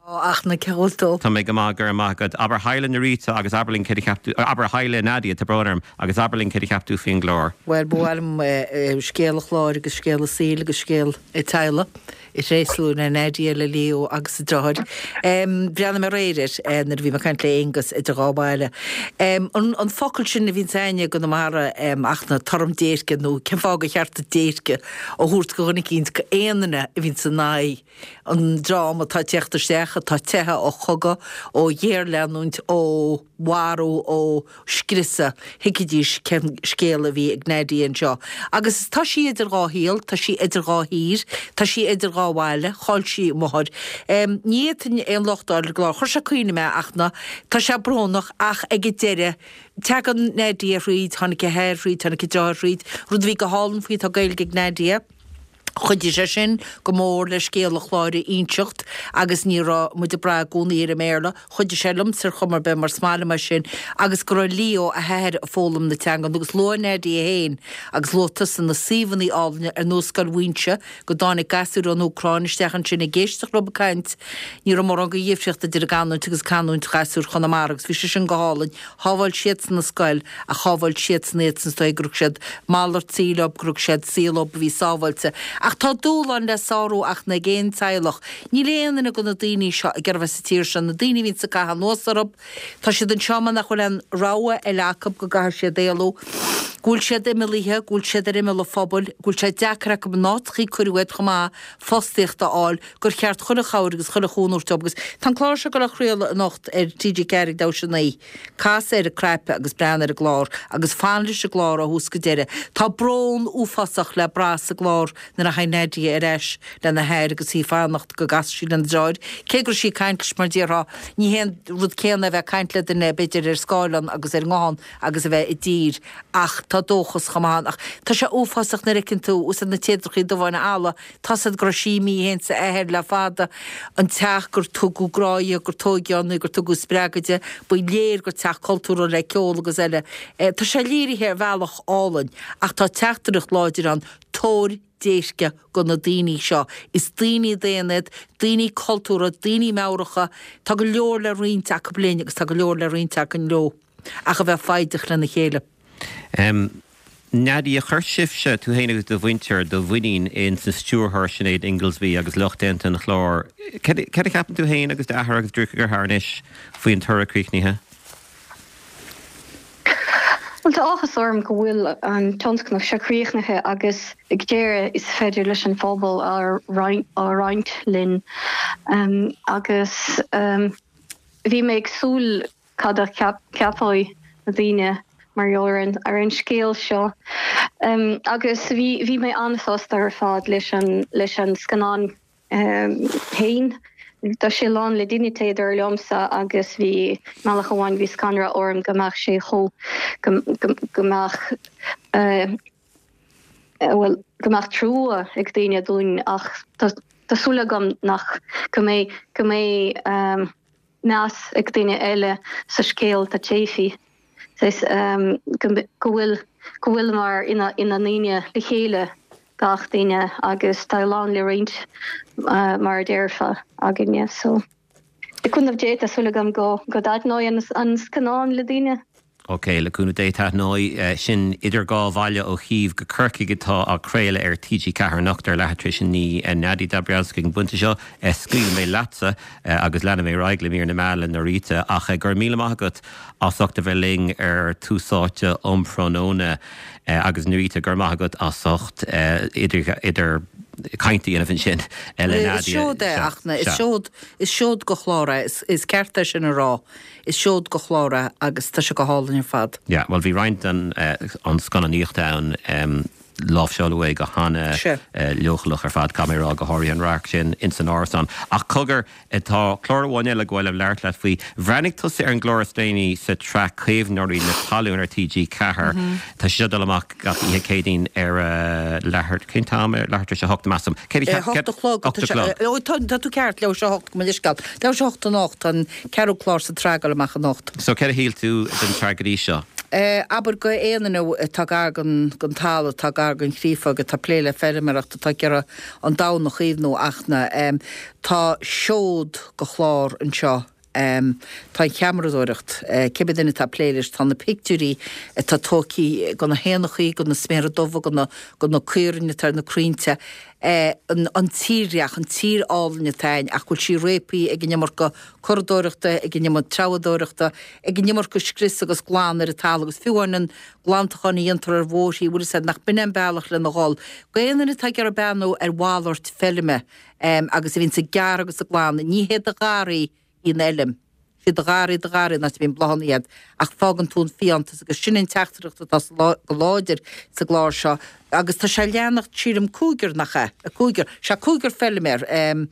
Ó ach na ceoltó. Tá mé go maith go raibh maith agat. Abair haigh le Norita agus abair linn céard a cheap tú abair haigh le Nadia tá brón orm agus abair linn céard a cheap tú faoin gclár. Well ba mhaith liom scéal an chláir agus scéal an tsaoil agus scéal an teaghlaigh a thréaslú le Nadia le Leo agus a deartháir. Bhreathnaigh mé aréir air nuair a bhí mé ag caint le Aonghus idir dhá bhaile. An focal sin a bhíonn againne i gConamara ach na tuairim déirce nó cén fáth gur cheart déirce a thabhairt go dhuine eicínt go aon duine a bhíonn san aghaidh an dream atá ag teacht isteach atá teithe ó chogadh, ó ghéarleanúint, ó mharú, ó scriosadh, thuigfidís cén scéal a bhí ag Nadia anseo. Agus tá sí idir dhá shaol, tá sí idir dhá thír, tá sí idir dhá bhaile, chaill sí a máthair. Ní fhéadfainn aon locht a fháil ar an gclár, chuir sé cuimhne mé ach na, tá sé brónach ach ag an deireadh, tagann Nadia thríd, tháinig a hathair thríd, tháinig a deartháir thríd, rud a bhí go hálainn faoi, tá Gaeilge ag Nadia. Chuidigh sé sin go mór le scéal an chláir a inseacht agus ní raibh muid ag brath i gcónaí ar an mBéarla. Chuidigh sé liomsa ar chuma ar bith mar is maith liom é sin agus go raibh Leo, a hathair, ag foghlaim na teangan agus luaigh Nadia féin agus luaigh tusa na suíomhanna álainne ar nós Scoil Mhuínse go dtáinig gasúir ón Úcráin isteach ansin ag éisteacht leo ag caint. Ní raibh mórán de dhifríocht idir a gcanúint agus canúint ghasúir Chonamara agus bhí sé sin go hálainn. Shábháil siadsan an scoil ach shábháil siadsan iad san is dóigh go raibh siad malairt saoil leo, go raibh siad saol leo a bhí sábháilte. Ach tá dúshlán le sárú ach ag aon teaghlach. Níl aon duine de na daoine seo ag iarraidh bheith sa tír seo, na daoine a bhíonns ag caitheamh anuas orthu, tá siad anseo mar nach bhfuil aon rogha eile acu go gcaithfidh siad éalú, go bhfuil siad imeallaithe, go bhfuil siad ar imeall an phobail, go bhfuil sé deacair acu in áiteachaí a cuireadh iad chomh maith fostaíocht a fháil, gur cheart chuile chabhair agus chuile chúnamh a thabhairt dóibh. Agus tá an clár seo ag dul á chraoladh anocht ar T G ceathair ag leathuair tar éis a naoi. Cas ar an cnaipe agus breathnaigh ar an gclár agus fan leis an gclár ó thús go deireadh. Tá brón uafásach le brath sa gclár nuair a thagann Nadia ar ais lena hathair agus í ag fanacht go gcasfaidh sí lena deartháir. Cé go raibh sí ag caint leis mar déarfá, ní hé an rud céanna a bheith ag caint le duine b'fhéidir ar scáileán agus ar an nguthán agus a bheith i dtír ach tá dóchas chomh maith ann. Ach tá sé uafásach nuair a fheiceann tú úsáid na téadrachaí dubha ina fhalla, tá's agat go raibh sí imithe féin 's a athair le fada, an teach gur tugadh grá di, gur tóigeadh ann í, gur tugadh spreagadh di, ba léir gur teach cultúrtha le ceol agus eile. Tá sé léirithe ar bhealach álainn ach tá teachtaireacht láidir ann, tabhair déirce go na daoine seo. Is daoine daonna iad, daoine cultúrtha, daoine meabhracha. Tá go leor le roinnt acu linn agus tá go leor le roinnt againn leo, ach a bheith foighdeach lena chéile. Um, Nadia, chuir sibhse, tú féin agus do mhuintir, do mhuinín in sa stiúrthóir Sinéad Ingoldsby agus lucht déanta an chláir. Cad a cheapann tú féin agus d'athair agus deartháir anois faoin toradh críochnaithe? Well tá áthas orm go bhfuil an tionscnamh seo críochnaithe agus ag deireadh is féidir leis an phobal a roinnt linn um, agus um, bhí mé ag súil cad a cheapfaidh na daoine mar gheall ar an, ar an scéal seo. Um, agus bhí, bhí mé an-sásta ar fad leis an, leis an scannán um, féin. Tá sé lán le dínite dar liomsa agus bhí bealach amháin bhí scanradh orm go mbeadh sé chomh go, go, go mbeadh uh, well, go mbeadh trua ag daoine dúinn ach tá tá súil agam nach go mbeidh go mbeidh um, meas ag daoine eile sa scéal tá téfi. Says, um, go go bhfuil go bhfuil mar ina ina ndaoine le chéile gach duine agus tá lán le roinnt uh, mar a déarfá againne so. Le cúnamh Dé tá súil agam go go dtaitneoidh an, an scannán le daoine. Ok, le cúnamh Dé taitneoidh eh, sin idir dhá bhaile ó Chív go Corcaigh atá á craoladh ar TG Ceathair anocht ar leathuair tar éis a naoi eh, Nadia Dabrowski ag an bpointe seo eh, scaoil mé leatsa eh, agus leanfaidh mé ar aghaidh le mír na meán le Norita ach eh, go raibh míle maith agat as ucht a bheith linn ar Tús Áite um thráthnóna eh, agus Norita go raibh maith agat as ucht eh, idir idir caint a dhéanamh ansin eh, le Is Nadia. seod é Sea, achna, is sea. seod is seod de chlár é, is, is ceart é sin a rá, is seod de chlár é agus tá sé go hálainn ar fad. Ja, well bhí roinnt an uh, an scannánaíocht ann um, láimhseáladh é go hana Sea. uh, leochaileach ar fad camerá go háirithe an radharc sin in san árasán. Ach cogar tá clár amháin eile go bhfuil labhairt leat faoi. Bhreathnaigh tusa ar an gclár is déanaí sa tsraith Caomhnóirí na Talún ar TG Ceathair. Tá sé dul amach gach oíche Céadaoin ar uh, leathuair cén t-am ar leathuair tar éis a hocht measaim. Cé Eh, Hocht a chlog Ocht a chlog. Ó, Tá tá tú ceart leathuair tar éis a hocht go leithscéal. Leathuair tar éis a hocht anocht an ceathrú clár sa tsraith ag dul amach anocht. So cé a shíl tú den tsraith go dtí seo? Eh, abair go aon atá gar don don talamh atá gar don chríofa atá plé le feirmeoireacht atá ag iarraidh an domhan a chaomhnú achna. Um, tá seod de chlár anseo. Um, tá an cheamaradóireacht uh, cibé duine atá plé leis tá na pictiúirí atá tógtha de na héanachaí de na sméara dubha de na de na caoirigh atá na crainnte eh, an, an tírdhreach an tír álainn atá ann ach bhfuil sí réabtha ag an iomarca curadóireachta ag an iomarca treabhadóireachta ag an iomarca scrios agus glan ar an talamh agus fiú an glantachán a dhéantar ar bhóithre bhfuil said nach b'in an bealach lena dhul. D'aon duine atá ag iarraidh breathnú ar mhalairt feilme um, agus a bhíonn sa gearr agus sa glan ní hé do gharraí í an fheilm. Sí do gharraí do gharraí nach bhíonn bláthanna iad ach fágann tú an fiántas agus sin an teachtaireacht atá sa lá- go láidir sa gclár seo agus tá sé leanacht sílim cúigear nach é a cúigear sé cúigear feilméar um,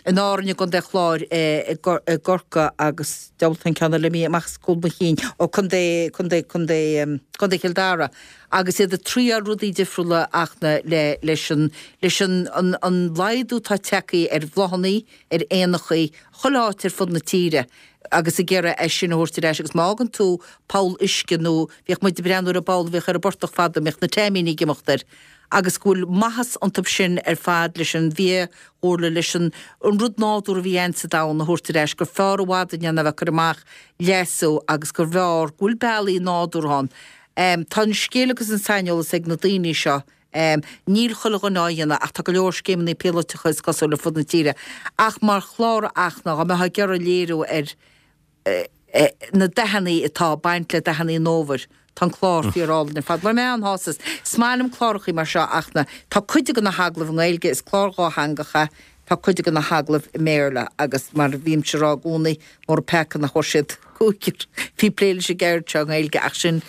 in Árainn i gContae Chláir eh, i gCor- i gCorcaigh agus deabhaltan ceann le mí amach cúl mo chinn ó Contae Contae Contae um, Contae Chill Dara agus iad ag triail rudaí difriúla achna le leis an leis an an, an laghdú tá tagtha ar bhláthanna ar éanachaí chuile áit ar fud na tíre agus ag iarraidh é sin a thabhairt ar ais agus má fhágann tú poll uisce nó bhíodh muid ag breathnú ar an bpoll bhíodh ar an bportach fada mbeadh na taimíní ag imeacht air agus go bhfuil maitheas iontu sin ar fad leis an bhfiadhúlra leis an an rud nádúr a bhí ann sa domhan a thabhairt ar ais gur fearr i bhfad a dhéanamh cur amach leasú agus gur bhfearr go bhfuil bealaí nádúrtha ann. Um, tá an scéal agus an saineolas ag na daoine seo. Um, níl chuile dhuine á dhéanamh ach tá go leor scéimeanna píolótacha is cosúil le fud na tíre. Ach mar chlár achna go mbeadh ag iarraidh léiriú ar eh, eh, na dathanna atá baint le dathanna an fhómhair. Tá an clár fíorálainn ar fad. Mar mé an hásas Smálam clárachaí mar seo achna Tá cuid de na hagallaimh i nGaeilge is clár dátheangach é, tá cuid de na hagallaimh i mBéarla agus mar bhím ag rá i gcónaí mór peaca nach bhfuil siad cúigear bhí plé leis an gceird seo i nGaeilge ach sin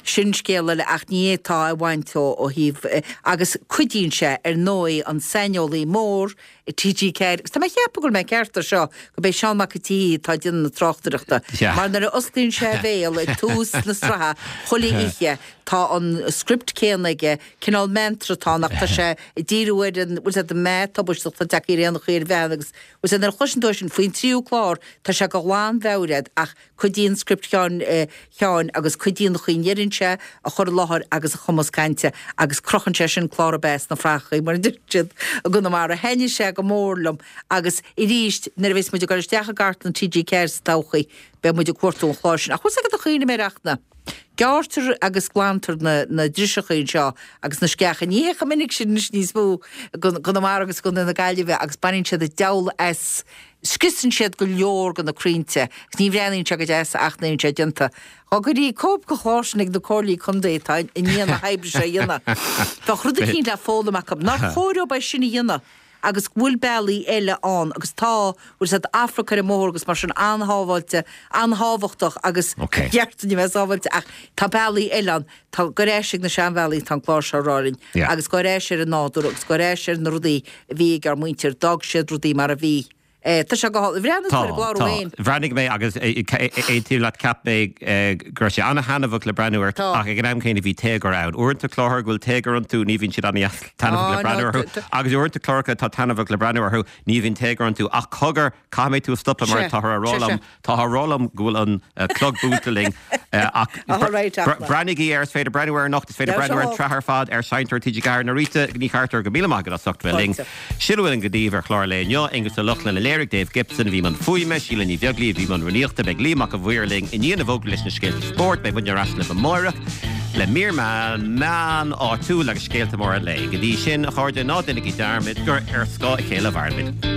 sin scéal eile ach ní tá a bhaint ó ó thaobh eh, agus cuidíonn sé ar ndóigh an saineolaí mór i TG Ceathair. Agus Tá mé cheapadh go bhfuil mé ceart ar seo go bé Seán Mac an tSaoi atá ag déanamh na tráchtaireachta. Yeah. Mar nuair a osclaíonn sé a bhéal ag tús na sraithe chuile oíche tá an script céanna aige cineál mantra tá nach tá sé ag díriú ar an bhfuil sé de mé tubaisteach tá teacht ar aon chuir bhean agus bhfuil sé nuair a chloiseann tú sin faoin tríú clár tá sé go lánmheabhrach ach cuidíonn script Sheáin eh, Sheáin agus cuidíonn chuin deireann sé a chur i láthair agus a chumas cainte agus crochann sé sin clár bes na frachaí mar a deir siad i gConamara thaitnigh sé go mór liom agus arís nuair a bheas muid ag dul isteach i gcartlann TG Ceathair sa todhchaí beidh muid ag cuartú an chláir sin ach chuas agad a chuoine mé reachna. Gearrtar agus glantar na na driseacha anseo agus na sceacha. Ní hé chomh minic sin anois níos mó i gConamara agus i gContae na Gaillimhe agus baineann siad an diabhal as, scriosann siad go leor de na crainnte agus ní bhreathnaíonn sé go deas ach nuair a bhíonn sé déanta. Dá gcuirfí cóip den chlár sin ag na comhairlí contae atá i ndiaidh na hoibre seo a dhéanamh, bheadh rud eicínt le foghlaim acu. Nár chóir dóibh é sin a dhéanamh? agus go bhfuil bealaí eile ann agus tá, bhfuil siad Afrac ar an mbóthar agus mar sin an-shábháilte, an-thábhachtach agus ceart dúinn a bheith sábháilte ach tá bealaí eile ann, tá, gabh ar ais ag na seanbhealaí atá an clár seo a rá linn agus gabh ar ais ar an nádúr agus gabh ar ais ar na rudaí a bhí ag ár muintir, d'fhág siad rudaí mar a bhí. Tá sé go hálainn. Bhreathnaigh tú ar an gclár Tá, féin? tá. Bhreathnaigh mé agus aontaím leat, cheap mé go raibh sé an-thaitneamhach le breathnú air ach ag an am céanna bhí téagar ann. Uaireanta cláracha go bhfuil téagar iontu ní bhíonn siad an-taitneamhach le breathnú orthu agus uaireanta cláracha atá taitneamhach le breathnú orthu ní bhíonn téagar iontu ach cogar caithfidh mé tú a stopadh mar táthar á rá liom táthar á rá liom go bhfuil an clog buailte linn ach breathnaígí air, is féidir breathnú air anocht, is féidir breathnú ar an tsraith ar fad ar Seinnteoir TG Ceathair. Norita Ní Chartúir, go míle maith agat as ucht bheith linn. Sin a bhfuil againn daoibh ar chlár an lae inniu. Aonghus Ó Lochlainn a léirigh, Dave Gibson a bhí i mbun fuaime, Síle Ní Bheaglaoí a bhí i mbun rúnaíochta. Beidh Liam Mac a' Mhaoir linn i ndiaidh na bhfógraí leis na scéalta spóirt. Beidh muidne ar ais libh amáireach le mír meán áitiúil agus scéalta móra an lae. Go dtí sin, a chairde, ná déanaigí dearmad gur ar scáth a chéile a mhairimid.